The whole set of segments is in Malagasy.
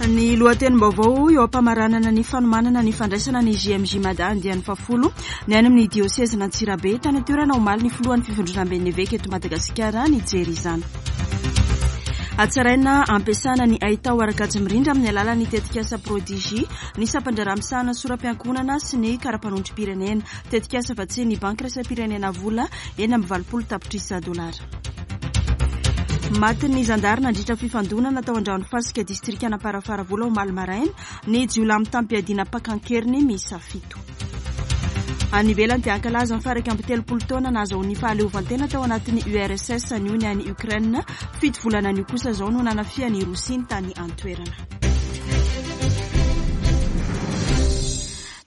Ny lohatenim-baovao eo am-pamaranana ny fanomanana ny fandraisana ny JMJ Mada andiany fahafolo ny any amin'ny diosezin'Antsirabe. Tany an-toerana omaly ny filohan'ny fivondronamben'ny eveka eto Madagasikara nijery izany. Hatsaraina ampiasana ny haitao ara-kajy mirindra amin'ny alalan'ny tetikasa Prodigy ny sampan-draharaha misahana sora-piankohonana sy ny kara-panondrom-pirenena. Tetikasa vatsian'ny Banky iraisam-pirenena vola 86 tapitrisa dolara. Matin'ny zandary nandritra fifandonana tao Andranofasika, distrikan'Amparafaravola omaly maraina, ny jiolahy mitam-piadiana mpaka an-keriny miisa fito. Any ivelany dia hankalaza ny faha-31 taona nahazahoany fahaleovantena tao anatin'ny URSS anio ny any Ukraine. Fito volana anio kosa izao no nanafihan'i Rosia ny tany an-toerana.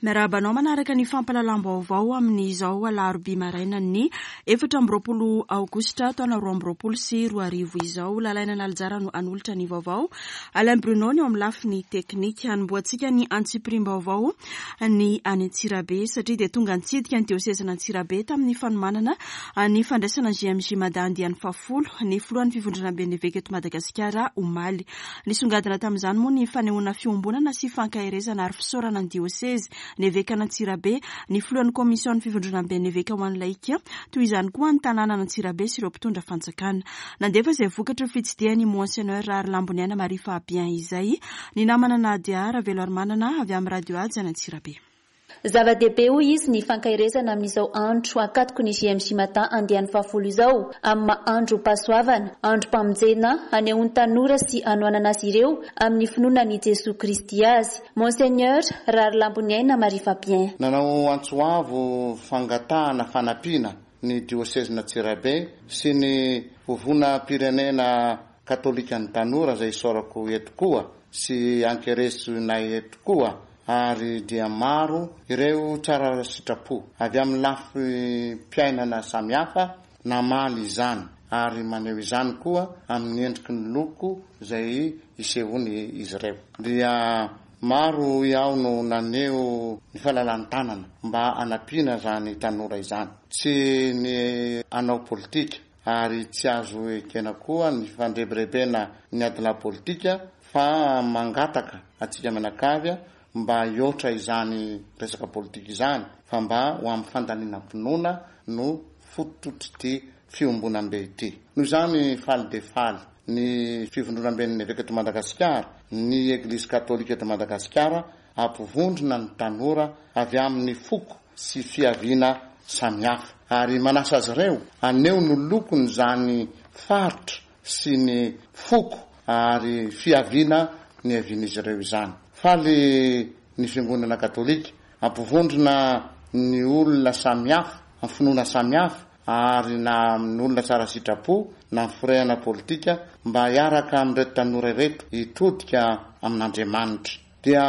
Miarahaba anao manaraka ny fampahalalam-baovao amin'izao alarobia marainan'ny 24 aogositra taona 2022 izao. Lalaina Nalijara no hanolotra ny vaovao. Alain Bruno ny eo amin'ny lafiny teknika. Hanombohantsika ny antsipiriam-baovao ny any Antsirabe satria dia tonga nitsidika ny diosezin'Antsirabe tamin'ny fanomanana ny fandraisana ny JMJ Mada andiany fahafolo ny filohan'ny fivondronamben'ny eveka eto Madagasikara omaly. Nisongadina tamin'izany moa ny fanehoana fiombonana sy fankaherezana ary fisaorana ny diosezy, ny evekan'Antsirabe, ny filohan'ny komision'ny fivondronamben'ny eveka ho an'ny laika, toy izany koa ny tanànan'Antsirabe sy ireo mpitondra fanjakana. Nandefa izay vokatry ny fitsidihany i Monseigneur Raharilamboniaina Marie Fabien izay, ny namana Nadia Raveloarimanana avy amin'ny Radio Haja any Antsirabe. Zava-dehibe hoy izy ny fankaherezana amin'izao andro ankatoky ny JMJ Mada andiany fahafolo izao, amin'ny maha androm-pahasoavana, androm-pamonjena, hanehoan'ny tanora sy hanohanana azy ireo amin'ny finoana an'i Jesoa Kristy azy. Monseigneur Raharilamboniaina Marie Fabien. Nanao antso avo fangatahana fanampiana ny diosezin'Antsirabe sy ny Vovonam-pirenena Katolikan'ny Tanora izay isaorako eto koa sy ankeresinay eto koa ary dia maro ireo tsara sitrapo avy amin'ny lafim-piainana samihafa namaly izany ary maneho izany koa amin'ny endriky ny loko izay isehoany izy ireo. Dia maro hoy aho no naneho ny falalan-tanana mba hanampiana izany tanora izany. Tsy ny hanao politika ary tsy azo ekena koa ny fandrebirebena ny adilahy politika fa mangataka antsika mianakavy mba hihoatra izany resaka politika izany fa mba ho amin'ny fandalinam-pinoana no fototr'ity fiombonambe ity. Noho izany faly dia faly ny Fivondronamben'ny Eveka eto Madagasikara, ny Eglizy Katolika eto Madagasikara hampivondrona ny tanora avy amin'ny foko sy fiaviana samihafa ary manasa azy ireo haneho ny lokon'izany faritra sy ny foko ary fiaviana niavian'izy ireo izany. Faly ny Fiangonana Katolika hampivondrona ny olona samihafa, amin'ny finoana samihafa ary na amin'ny olona tsara sitrapo na amin'ny firehana politika mba hiaraka amin'ireto tanora ireto hitodika amin'Andriamanitra. Dia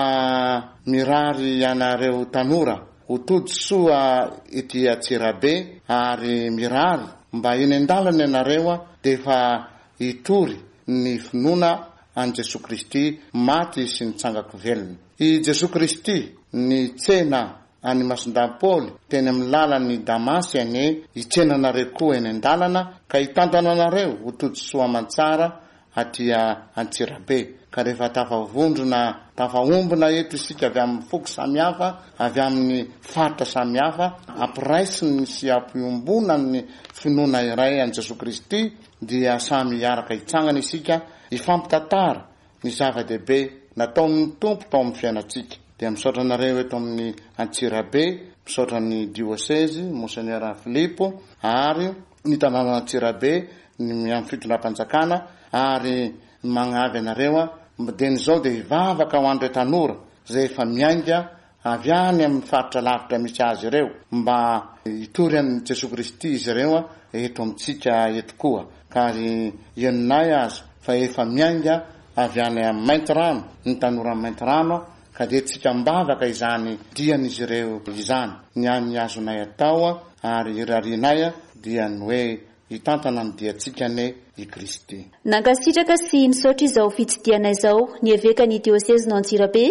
mirary anareo tanora ho tody soa ety Antsirabe ary mirary mba eny an-dalana ianareo dia efa hitory ny finoana an'i Jesoa Kristy maty sy nitsangako velona. I Jesoa Kristy nitsena an'i Masindahy Paoly teny amin'ny lalan'i Damasy anie hitsena anareo koa eny an-dalana ka hitantana anareo ho tody soa aman-tsara aty Antsirabe, ka rehefa tafavondrona, tafaombona eto isika avy amin'ny foko samihafa, avy amin'ny faritra samihafa, ampiraisiny sy ampiombonan'ny finoana iray an'i Jesoa Kristy, dia samy hiaraka hitsangana isika, hifampitantara ny zava-dehibe nataon'ny Tompo tao amin'ny fiainantsika. Dia misaotra anareo eto amin'ny Antsirabe, misaotra ny Diosezy, Monseigneur Philippe, ary ny tanànan'Antsirabe, ny amin'ny fitondram-panjakana ary ny magnavy anareo a, dieny izao dia hivavaka ho an'ireo tanora izay efa miainga avy any amin'ny faritra lavitra misy azy ireo mba hitory an'i Jesoa Kristy izy ireo eto amintsika eto koa ka ary henonay aza fa efa miainga avy any Maintirano ny tanoran'i Maintirano ka dia tsika am-bavaka izany dian'izy ireo izany ny an'ny azonay atao ary irarianay dia ny hoe Hitantana ny diantsika anie i Kristy. Nankasitraka sy misaotra izao fitsidihana izao ny evekan'ny diosezin'i Antsirabe,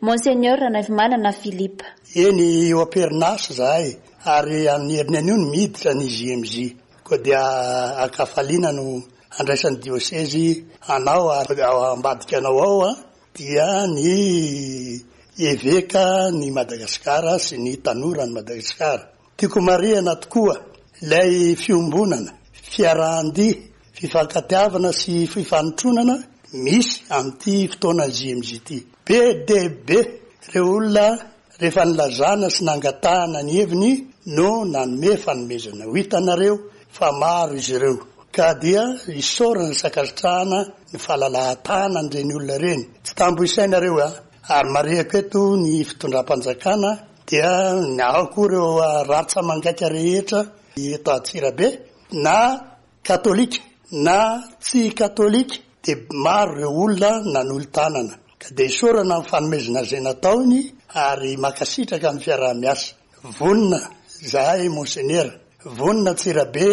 Monseigneur Ranaivomanana Philippe. Eny, eo am-perinasa izahay ary amin'ny heriny anio no miditra ny JMJ. Koa dia an-kafaliana no handraisan'ny diosezy anao ary ao ambadika anao ao. dia ny Eveka ny Madagasikara sy ny tanora ny Madagasikara. Tiako marihana tokoa ilay fiombonana, fiarahan-dia, fifankatiavana sy fifanotronana misy amin'ity fotoana JMJ ity. Be dia be ireo olona rehefa nilazana sy nangatahana ny heviny no nanome fanomezana. Ho hitanareo fa maro izy ireo. Ka dia isaorana sy ankasitrahana ny fahalalahan-tanan'ireny olona ireny. Tsy tambo isaina ireo a! Ary marihako eto ny fitondram-panjakana dia ao koa ireo rantsa-mangaika rehetra eto Antsirabe na katolika na tsy katolika dia maro ireo olona nanolo-tanana. Ka dia isaorana amin'ny fanomezana izay nataony ary mankasitraka ny fiaraha-miasa. Vonona izahay Monsenera, vonona Antsirabe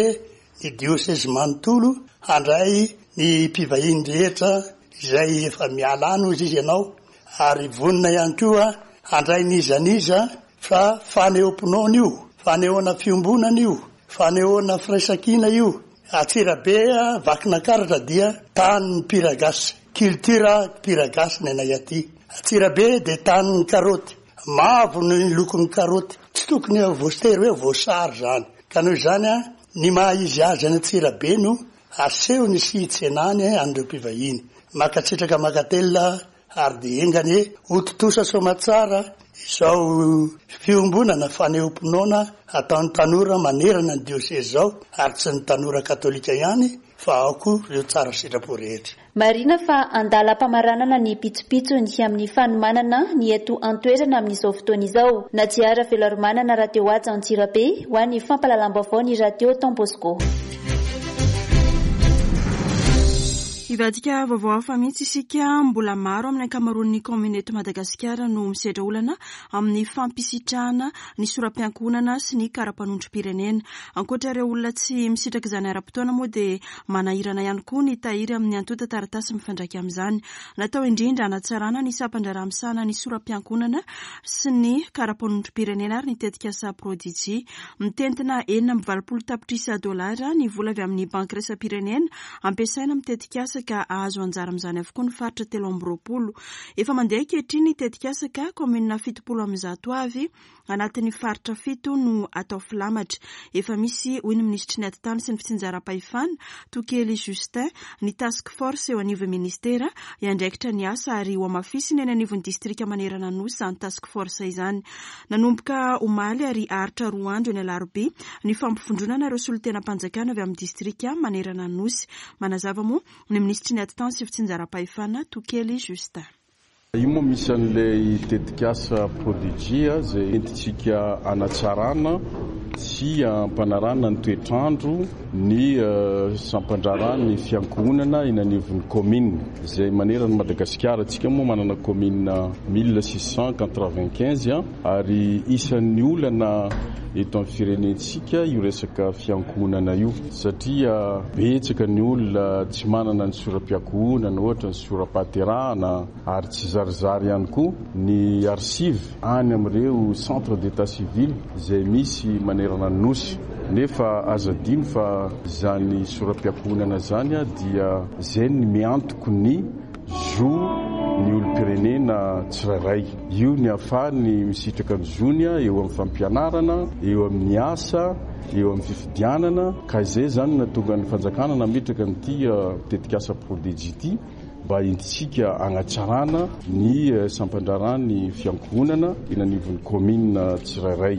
ny diosezy manontolo handray ny mpivahiny rehetra izay efa miala any hozy izy ianao ary vonona ihany koa handray n'iza n'iza fa fanehoam-pinoana io, fanehoana fiombonana io, fanehoana firaisankina io. Antsirabe Vakinankaratra dia tanin'ny mpiragasy, culture mpiragasy ny anay aty. Antsirabe dia tanin'ny karaoty, mavo ny lokon'ny karaoty, tsy tokony voatery hoe voasary izany. Ka noho izany, ny maha izy azy any Antsirabe no asehony sy itsenany an'ireo mpivahiny. Mankasitraka mankatelina ary dia enga anie ho tontosa soamatsara izao fiombonana fanehoam-pinoana ataon'ny tanora manerana ny diosezy izao ary tsy ny tanora katolika ihany fa ao koa ireo tsara sitrapo rehetra. Marihina fa andalam-pamaranana ny pitsopitsony amin'ny fanomanana ny eto an-toerana amin'izao fotoana izao. Nadia Raveloarimanana Rateohaja Antsirabe ho an'ny fampahalalam-baovao ny Radio Don Bosco. Hivadika vaovao hafa mihitsy isika, mbola maro amin'ny ankamaroan'ny kaominina eto Madagasikara no misedra olana amin'ny fampisitrahana ny sora-piankohonana sy ny kara-panondrom-pirenena. Ankoatra ireo olona tsy misitraka izany ara-potoana moa dia manahirana ihany koa ny tahiry amin'ny antontan-taratasy mifandraika amin'izany. Natao indrindra hanatsarana ny sampan-draharaha misahana ny sora-piankohonana sy ny kara-panondrom-pirenena ary ny tetikasa Prodigy. Mitentina 86 tapitrisa dolara ny vola avy amin'ny Banky iraisam-pirenena Ampiasaina amin'ny tetikasa ka hahazo anjara amin'izany avokoa ny faritra 23. Efa mandeha ankehitriny ny tetikasa ka kaominina 170 avy anatin'ny faritra fito no atao filamatra. Efa misy, hoy ny minisitry ny Atitany sy ny fitsinjaram-pahefana, Tokely Justin, ny task force eo anivon'ny minisitera hiandraikitra ny asa ary hohamafisina eny anivon'ny distrika manerana ny Nosy izany task force izany. Nanomboka omaly ary haharitra roa andro eny Alarobia ny fampivondronana ireo solontenam-panjakana avy amin'ny distrika manerana ny Nosy. Manazava moa ny minisitry ny Atitany sy fitsinjaram-pahefana, Tokely Justin. Io moa misy an'ilay tetikasa Prodigy izay entintsika hanatsarana sy hampanarahana ny toetr'andro ny sampan-draharahan'ny fiankohonana eny anivon'ny kaominina izay manerana an'i Madagasikara. Isika moa manana kaominina 1695 ary isan'ny olana eto amin'ny firenentsika io resaka fiankohonana io satria betsaka ny olona tsy manana ny sora-piankohonana ohatra ny sora-pahaterahana ary tsy zarizary ihany koa ny archive any amin'ireo centre d'état civil izay misy manerana ny Nosy. Nefa aza adino fa izany sora-piankohonana izany dia izay ny miantoko ny zo ny olom-pirenena tsirairay. Io ny ahafahany misitraka ny zony eo amin'ny fampianarana, eo amin'ny asa, eo amin'ny fifidianana. Ka izay izany no nahatonga ny fanjakana nametraka an'ity tetikasa Prodigy ity. mba entintsika hagnatsarana ny sampan-draharahan'ny fiankohonana eny anivon'ny kaominina tsirairay.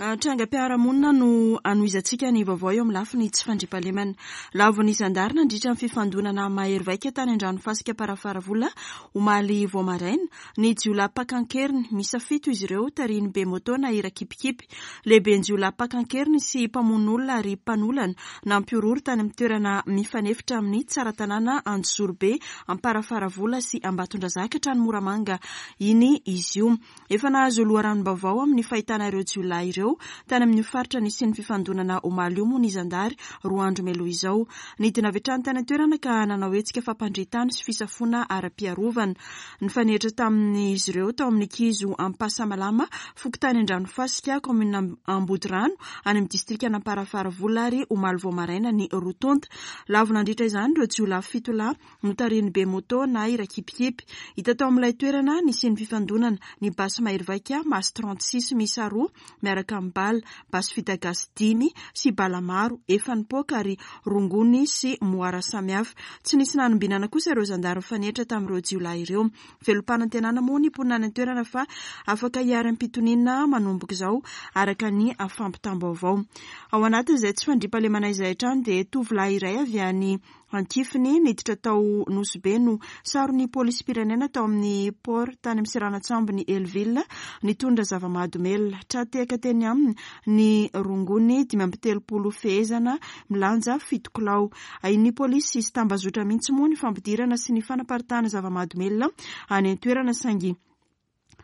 Trangam-piarahamonina no anohizantsika ny vaovao eo amin'ny lafiny tsy fandriampahalemana. Lavon'ny zandary nandritra ny fifandonana mahery vaika tany Andranofasika Amparafaravola omaly vao maraina ny jiolahy mpaka an-keriny. Miisa fito izy ireo, tarihin'ny Bemoto na Irakipikipy. Lehiben-jiolahy mpaka an-keriny sy mpamono olona ary mpanolana nampihorohoro tany amin'ny toerana mifanefitra amin'ny Tsaratanàna Anjozorobe, Amparafaravola sy Ambatondrazaka hatrany Moramanga iny izy io. Efa nahazo loharanom-baovao amin'ny fahitana ireo jiolahy ireo tany amin'io faritra nisian'ny fifandonana omaly io moa ny zandary 2 andro mialoha izao. Nidina avy hatrany tany an-toerana ka nanao hetsika fampandrian-tany sy fisafoana ara-piarovana. Nifanehitra tamin'izy ireo tao amin'ny kizo Ampasamalama, fokontany Andranofasika, kaominina Ambodirano, any amin'ny distrikan'Amparafaravola ary omaly vao maraina ny roa tonta. Lavo nandritra izany ireo jiolahy fito lahy notarihin'ny Bemoto na i Rakipikipy. Hita tao amin'ilay toerana nisian'ny fifandonana ny basy mahery vaika Mas 36 miisa roa miaraka amin'ny bala, basy vita gasy dimy sy bala maro efa nipoaka ary rongony sy moara samihafa. Tsy nisy nanombinana kosa ireo zandary nifanehitra tamin'ireo jiolahy ireo. Velom-panantenana moa ny mponina any an-toerana fa afaka hiharam-pitoniana manomboka izao, araka ny fampitam-baovao. Ao anatin'izay tsy fandriampahalemana izay hatrany dia tovolahy iray avy any Ankifiny niditra tao Nosy Be no saron'ny polisim-pirenena tao amin'ny port tany amin'ny seranan-tsambon'i Hellville nitondra zava-mahadomelina. Tra-tehaka teny aminy ny rongony 35 fehezana milanja fito kilao. Ahian'ny polisy sy tambazotra mihitsy moa ny fampidirana sy ny fanaparitahana zava-mahadomelina any an-toerana saingy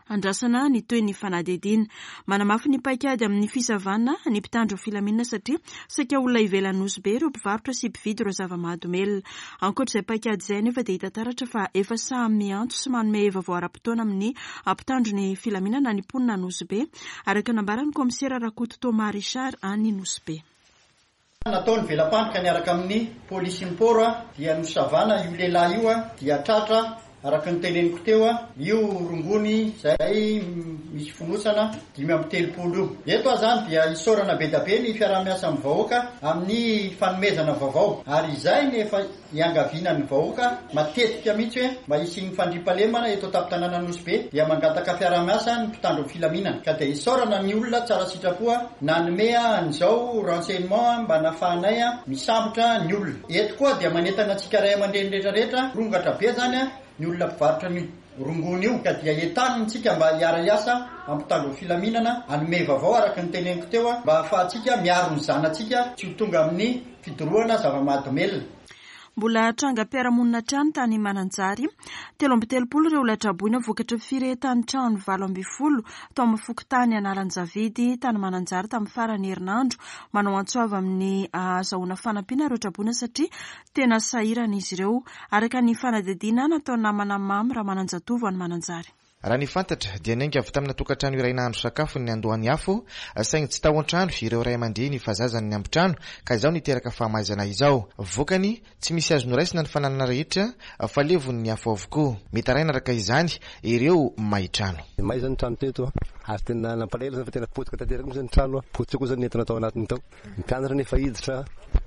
Andrasana ny tohin'ny fanadihadiana. Manamafy ny paikady amin'ny fisavana ny mpitandro filaminana satria saika olona ivelan'i Nosy Be ireo mpivarotra sy mpividy ireo zava-mahadomelina. Ankoatra izay paikady izay anefa dia hita taratra fa efa samy miantso sy manome vaovao ara-potoana amin'ny mpitandro ny filaminana ny mponina Nosy Be, araka ny nambaran'ny kaomisera Rakoto Thomas Richard any Nosy Be. Natao ny vela-pandrika niaraka amin'ny polisin'ny port dia nosavana io lehilahy io dia tratra araka ny teneniko teo io rongony izay misy fonosana 35 io. Eto aho izany dia isaorana be da be ny fiaraha-miasa amin'ny vahoaka amin'ny fanomezana vaovao ary izay no efa Iangaviana ny vahoaka matetika mihitsy hoe mba hisian'ny fandriampahalemana eto an-tampon-tanànan'i Nosy Be dia mangataka fiaraha-miasa ny mpitandro ny filaminana ka dia isaorana ny olona tsara sitrapo nanome an'izao renseignement mba nafahanay misambotra ny olona. Eto koa dia manentana antsika ray aman-dreny rehetra rehetra, mirongatra be zany ny olona mpivarotra an'io rongony io ka dia entanina isika mba hiara-hiasa amin'ny mpitandro ny filaminana hanome vaovao araka ny teneniko teo mba hahafahantsika miaro ny zanatsika tsy ho tonga amin'ny Fidorohana zava-mahadomelina. Mbola trangam-piarahamonina hatrany tany Mananjary. 33 ireo olona traboina vokatry ny firehetan'ny trano 18 tao amin'ny fokontany Analanjavidy tany Mananjary tamin'ny faran'ny herinandro. Manao antso avo amin'ny ahazahoana fanampiana ireo traboina satria tena sahirana izy ireo, araka ny fanadihadiana nataon'ny namana Mamy Ramananjatovo any Mananjary. Raha ny fantatra dia niainga avy tamina tokantrano iray nahandro sakafo ny niandohan'ny afo, saingy tsy tao an-trano ireo ray aman-dreny fa zaza ny niambin-trano ka izao niteraka fahamaizana izao. Vokany, tsy misy azo noraisina ny fananana rehetra fa levon'ny afo avokoa. Mitaraina araka izany ireo may trano. May izany ny trano teto ary tena nampalahelo izany fa tena potika tanteraka mihitsy ny trano, potika koa izany ny entana tao anatiny tao. Ny mpianatra nefa hiditra,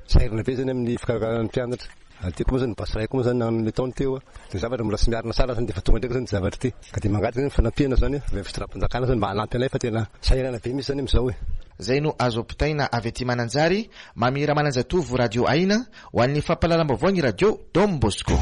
sahirana be izany amin'ny fikarakarana ny mpianatra. Ary teo koa moa izany ny basy iray koa moa izany nanome taona teo, dia zavatra mbola tsy miarina tsara izany dia efa tonga ndraika izany ity zavatra ity. Ka dia mangataka izany fanampiana izany avy amin'ny fitondram-panjakana izany mba hanampy anay fa tena sahirana be mihitsy izany amin'izao e. Izay no azo ampitaina avy aty Mananjary, Mamy Ramananjatovo Radio Aina, ho an'ny fampahalalam-baovao ny Radio Don Bosco.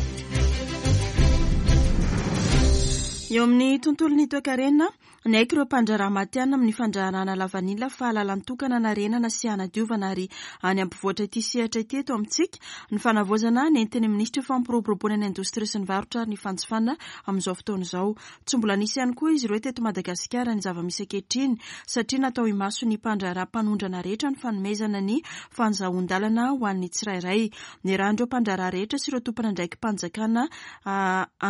Eo amin'ny tontolon'ny toekarena, Niaiky ireo mpandraharaha matihanina amin'ny fandraharahana lavanila fa lalan-tokana hanarenana sy hanadiovana ary any hampivoatra ity sehatra ity eto amintsika ny fanavaozana nentin'ny minisitry ny fampiroboroboana ny indostria sy ny varotra ary ny fanjifana amin'izao fotoana izao. Tsy mbola nisy ihany koa izy ireo teto Madagasikara ny zava-misy ankehitriny satria natao imason'ny mpandraharaha mpanondrana rehetra ny fanomezana ny fanzahoan-dalana ho an'ny tsirairay. Niarahan'ireo mpandraharaha rehetra sy ireo tompon'andraiki-panjakana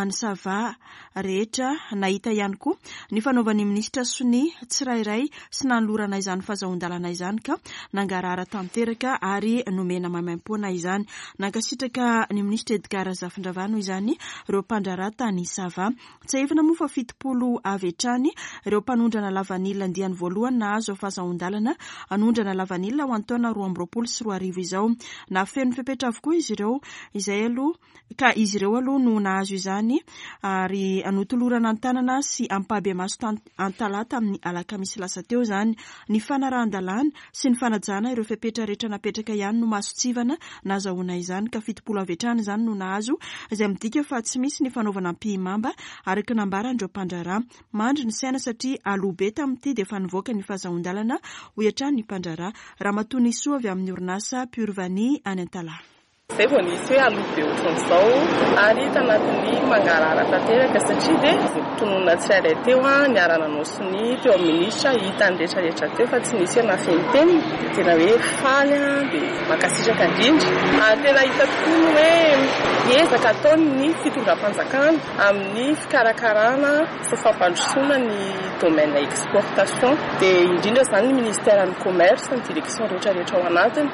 any Sava rehetra nahita ihany koa ny fanaovan'ny minisitra sonia tsirairay sy nanolorana izany fazahoan-dalana izany ka nangarahara tanteraka ary nomena maimaimpoana izany. Nankasitraka ny minisitra Edgard Razafindravahy noho izany ireo mpandraharaha tany Sava. Tsiahivina moa fa 70 avy hatrany ireo mpanondrana lavanila andiany voalohany nahazo fazahoan-dalana hanondrana lavanila ho an'ny taona 2022 izao. Nahafeno fepetra avokoa izy ireo izay aloha ka izy ireo aloha no nahazo izany ary notolorana an-tanana sy ampahibemaso Antalaha tamin'ny alakamisy lasa teo izany. Ny fanarahan-dalàna sy ny fanajana ireo fepetra rehetra napetraka ihany no mason-tsivana nahazahoana izany ka 70 avy hatrany izany no nahazo izay midika fa tsy misy ny fanaovana ampihimamba araka ny nambaran'ireo mpandraharaha. Mandry ny saina satria aloha be tamin'ity dia efa nivoaka ny fahazahoan-dalana hoy hatrany ny mpandraharaha Ramatoa Nisoa avy amin'ny orinasa Pure Vanille any Antalaha. Izay vao nisy hoe aloha be ohatran'izao ary tanatin'ny mangarahara tanteraka satria dia voatonona tsirairay teo niara-nanao sonia teo amin'ny minisitra, hitan'ny rehetra rehetra teo fa tsy nisy hoe nafenimpenina. Dia tena hoe faly dia mankasitraka indrindra. Ary tena hita tokoa ny hoe ezaka ataon'ny fitondram-panjakana amin'ny fikarakarana sy fampandrosoana ny domaine exportation dia indrindra izany ny ministère ny commerce, ny direction rehetra rehetra ao anatiny.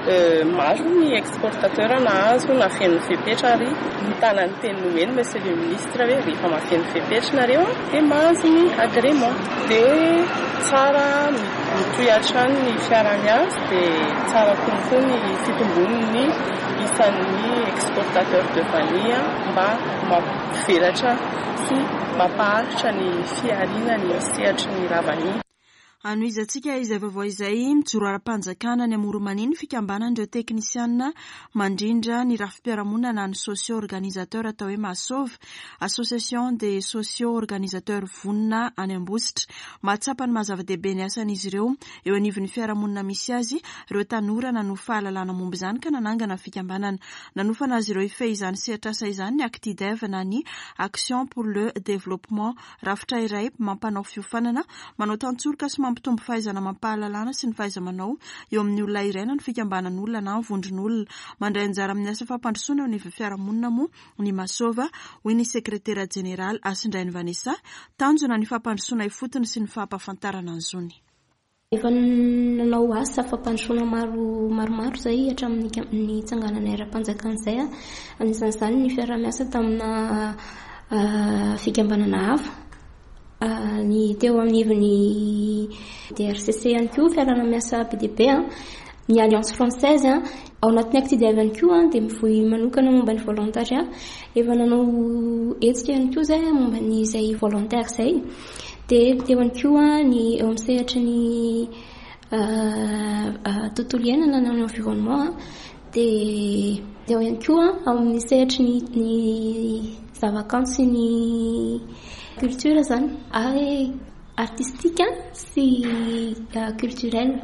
Maro ny exportateur nahazo nafeno fepetra ary nitana ny teny nomeny monsieur le ministre hoe rehefa mafeno fepetra nareo dia mahazo ny agrément. Dia tsara mitohy hatrany ny fiaraha-miasa dia tsara kokoa ny fitombon'ny isan'ny exportateur de vanille mba mampivelatra sy mampaharitra ny fihariana ny sehatry ny lavanila. Hanohizantsika izay vaovao izay, mijoro ara-panjakana any Amoronmania ny fikambanan'ireo teknisiana mandrindra ny rafi-piarahamonina na ny socio organisateur atao hoe Masov, Association des socio organisateurs vonona any Ambositra. Mahatsapa ny maha zava-dehibe ny asan'izy ireo eo anivon'ny fiarahamonina misy azy ireo tanora nanovo fahalalana momba izany ka nanangana ny fikambanana. Nanofana azy ireo hifehy izany sehatr'asa izany ny Actidev na ny Action pour le Développement, rafitra iray mampanao fiofanana, manao tantsoroka sy mampitombo fahaizana amam-pahalalana sy ny fahaiza-manao eo amin'ny olona iray na ny fikambanan'olona na ny vondron'olona. Mandray anjara amin'ny asa fampandrosoana eo anivon'ny fiarahamonina moa ny Masova, hoy ny sekretera jeneraly Hasindrainy Vanessa. Tanjona ny fampandrosoana ifotony sy ny fampahafantarana ny zony. Efa nanao asa fampandrosoana maro maromaro izay hatramin'ny nitsangananay ara-panjakana izay. Anisan'izany ny fiaraha-miasa tamina fikambanana hafa. Ny teo anivon'ny DRCC ihany koa fiarahana miasa be dia be. Ny Alliance Française ao anatin'ny Actidev ihany koa dia mivoy manokana momba ny volontariat. Efa nanao hetsika ihany koa izay momba ny izay volontaire izay. Dia teo ihany koa ny eo amin'ny sehatry ny tontolo iainana na ny environnement dia teo ihany koa ao amin'ny sehatry ny ny zavakanto sy ny culture izany ary artistique sy culturel.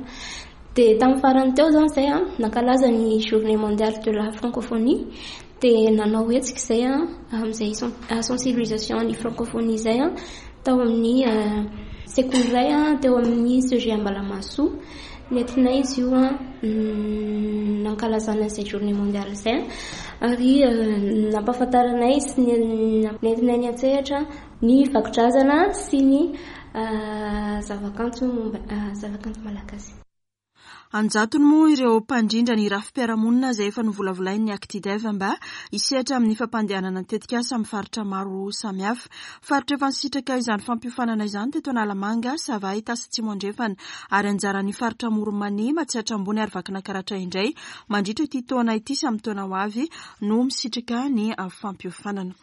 Dia tamin'ny farany teo izany izay nankalaza ny journée mondiale de la francophonie Dia nanao hetsika izay amin'izay sensibilisation ny francophonie izay tao amin'ny sekoly iray teo amin'ny CEG Ambalamahasoa. Nentinay izy io nankalazana izay journée mondiale izay ary nampahafantaranay sy nentinay niantsehatra ny vakodrazana sy ny zavakanto momba zavakanto malagasy. An-jatony moa ireo mpandrindra ny rafi-piarahamonina izay efa novolavolain'ny Actidev mba hisehatra amin'ny fampandehanana ny tetikasa amin'ny faritra maro samihafa. Faritra efa nisitraka izany fampiofanana izany teto Analamanga, Sava, Itasy Atsimo Andrefana ary anjaran'ny faritra Amoron'i Mania, Matsiatra Ambony ary Vakinakaratra indray mandritra ity taona ity sy amin'ny taona ho avy no misitraka ny fampiofanana.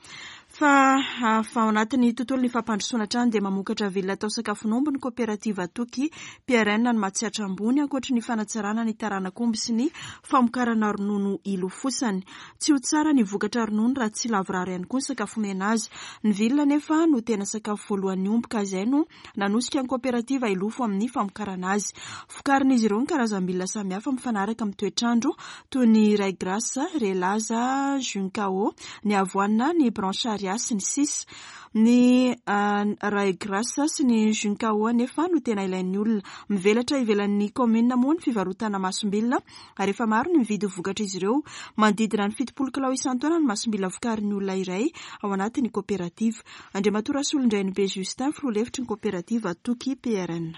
Fa fa ao anatin'ny tontolon'ny fampandrosoana hatrany dia mamokatra vilona atao sakafon'omby ny koperativa Toky PRN any Matsiatra Ambony ankoatry ny fanatsarana ny taranak'omby sy ny famokarana ronono ilofosany. Tsy ho tsara ny vokatra ronono raha tsy lavorary ihany koa ny sakafo omena azy. Ny vilona anefa no tena sakafo voalohan'ny omby ka izay no Nanosika ny kaoperativa hilofo amin'ny famokarana azy. Vokarin'izy ireo ny karazam-bilona samihafa mifanaraka amin'ny toetr'andro toy ny Ryegrass, Relaza, Juncao, ny avoine, ny Brancharia, sy ny sisa Ny Ryegrass sy ny Juncao anefa no tena ilain'ny olona. Mivelatra ivelan'ny kaominina moa ny fivarotana masombilona ary efa maro ny mividy vokatr'izy ireo. Manodidina ny 70 kilao isan-taona ny masombilona vokarin'ny olona iray ao anatin'ny kaoperativa. Andriamatoa Rasolondrainibe Justin, filoha lefitry ny kaoperativa Toky PRN.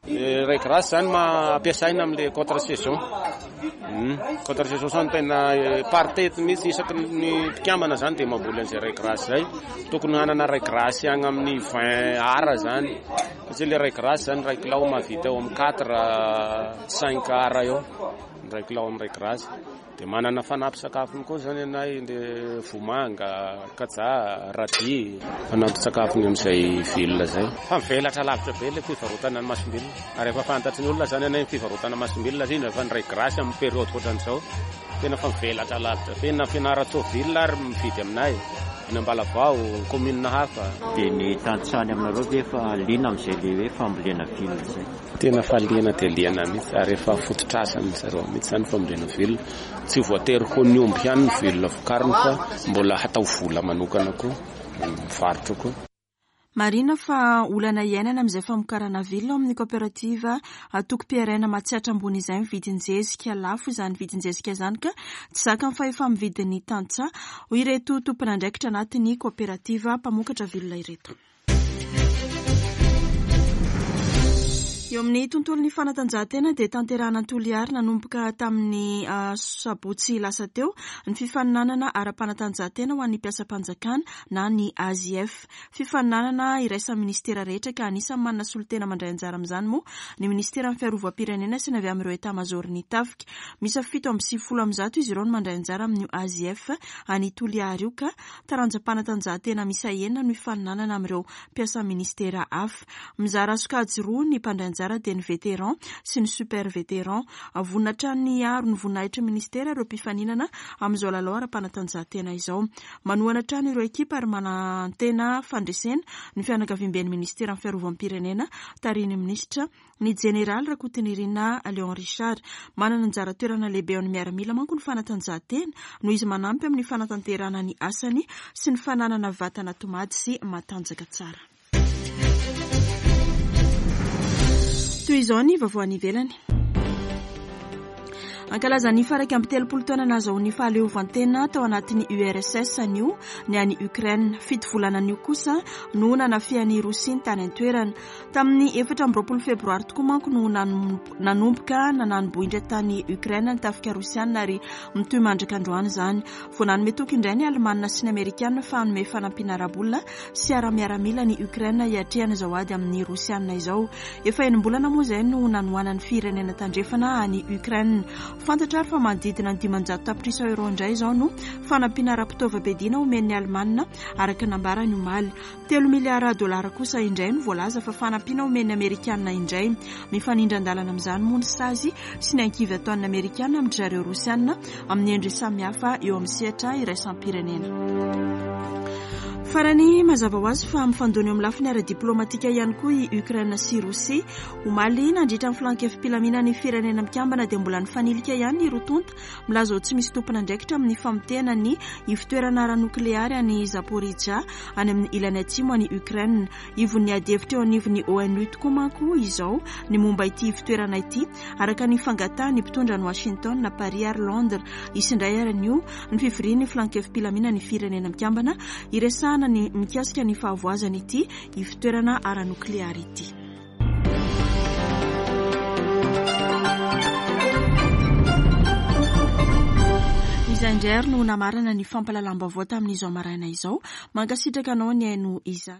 Ray grasse zany ma ampiasaina amle contre saison. Contre saison zany tena par tête mihitsy isaky ny mpikambana zany dia mamboly an'izay ray grasse zay. Tokony hanana ray grasse agny amin'ny 20 ara zany. Satria le ray grasse zany ray kilao mahavita eo amin'ny 4 5 ara eo. Ny ray kilao amin'ny ray grasse. Dia manana fanampy sakafony koa zany anay le vomanga, kajaha, radis, fanampy sakafony amin'izay velona zay. Fa mivelatra lavitra be le fivarotana ny masombilona. Ary efa fantatry ny olona zany anay ny fivarotana masombilona indrindra fa ny ray grasy amin'ny période ohatran'izao. Tena fa mivelatra lavitra be na Fianarantsoa ville ary mividy aminay. Any Ambalavao, commune hafa. Dia ny tantsaha any aminareo ve efa liana amin'izay le hoe fambolena vilona izay? Tena fa liana dia liana mihitsy ary efa fototr'asan'ny zareo mihitsy izany fambolena vilona. Tsy voatery ho ny omby ihany ny vilona vokariny fa mbola hatao vola manokana koa, mivarotra koa. Marihina fa olana iainana amin'izay famokarana vilona ao amin'ny kaoperativa Atokom-piaraina Matsiatra Ambony izay ny vidin-jezika. Lafo izany vidin-jezika izany ka tsy zakan'ny fahefa-mividin'ny tantsaha, hoy ireto tompon'andraikitra anatin'ny kaoperativa mpamokatra vilona ireto. Eo amin'ny tontolon'ny fanatanjahantena dia tanterahana Toliary nanomboka tamin'ny sabotsy lasa teo ny fifaninanana ara-panatanjahantena ho an'ny mpiasam-panjakana na ny AJF. Fifaninanana iraisan'ny minisitera rehetra ka anisan'ny manana solontena mandray anjara amin'izany moa ny minisiteran'ny fiarovam-pirenena sy ny avy amin'ireo etamazaoron'ny tafika. Miisa 197 izy ireo no mandray anjara amin'io AJF any Toliary io ka taranjam-panatanjahantena miisa enina no hifaninanana amin'ireo mpiasan'ny minisitera hafa. Mizara sokajy roa ny mpandray anjara dia ny vétéran sy ny super vétéran. Vonona hatrany ny hiaro ny voninahitry ny minisitera ireo mpifaninana amin'izao lalao ara-panatanjahantena izao. Manohana hatrany ireo ekipa ary manantena fandresena ny fianakaviamben'ny minisiteran'ny fiarovam-pirenena tarihin'ny minisitra ny jeneraly Rakotonirina Léon Richard. Manana anjara toerana lehibe eo amin'ny miaramila manko ny fanatanjahantena noho izy manampy amin'ny fanatanterahana ny asany sy ny fananana vatana tomady sy matanjaka tsara. Toy izao ny vaovao any ivelany. Ankalaza ny faha 31 taona nahazahoany fahaleovantena tao anatin'ny URSS anio ny any Ukraine. Fito volana anio kosa no nanafihan'i Rosia ny tany an-toerana. Tamin'ny 24 febroary tokoa manko no nanomboka nanani-bohitra tany Ukraine ny tafika rosiana ary mitohy mandraka androany izany. Vao nanome toky indray ny Alemana sy ny Amerikana fa hanome fanampiana ara-bola sy ara-miaramila an'i Ukraine hiatrehana izao ady amin'ny Rosiana izao. Efa enim-bolana moa izay no nanohanan'ny firenena tandrefana an'i Ukraine. Fantatra ary fa manodidina ny 500 tapitrisa euro indray izao no fanampiana ara-pitaovam-piadiana omen'ny Alemana araka ny nambarany omaly. Telo miliara dolara kosa indray no voalaza fa fanampiana omen'ny Amerikana indray. Mifanindran-dalana amin'izany moa ny sazy sy ny ankivy ataon'ny Amerikana amin-dry zareo Rosiana amin'ny endriny samihafa eo amin'ny sehatra iraisam-pirenena. Farany, mazava ho azy fa mifandona eo amin'ny lafiny ara-diplaomatika ihany koa i Ukraine sy Rosia. Omaly, nandritra ny filan-kevi-pilaminan'ny Firenena Mikambana dia mbola nifanilika ihany ny roa tonta Milaza ho tsy misy tompon'andraikitra amin'ny famotehana ny ivotoerana ara-nokleary any Zaporizhzhia, any amin'ny ilany atsimo any Ukraine. Ivon'ny adihevitra eo anivon'ny ONU tokoa manko izao ny momba ity ivotoerana ity, araka ny fangatahan'ny mpitondra any Washington, Paris ary Londres. Hisy indray ary anio ny fivorian'ny filan-kevi-pilaminan'ny Firenena Mikambana hiresahana ny mikasika ny fahavoazan'ity ivotoerana ara-nokleary ity. Izay indray ary no namarana ny fampahalalam-baovao tamin'izao maraina izao. Mankasitraka anao nihaino izany.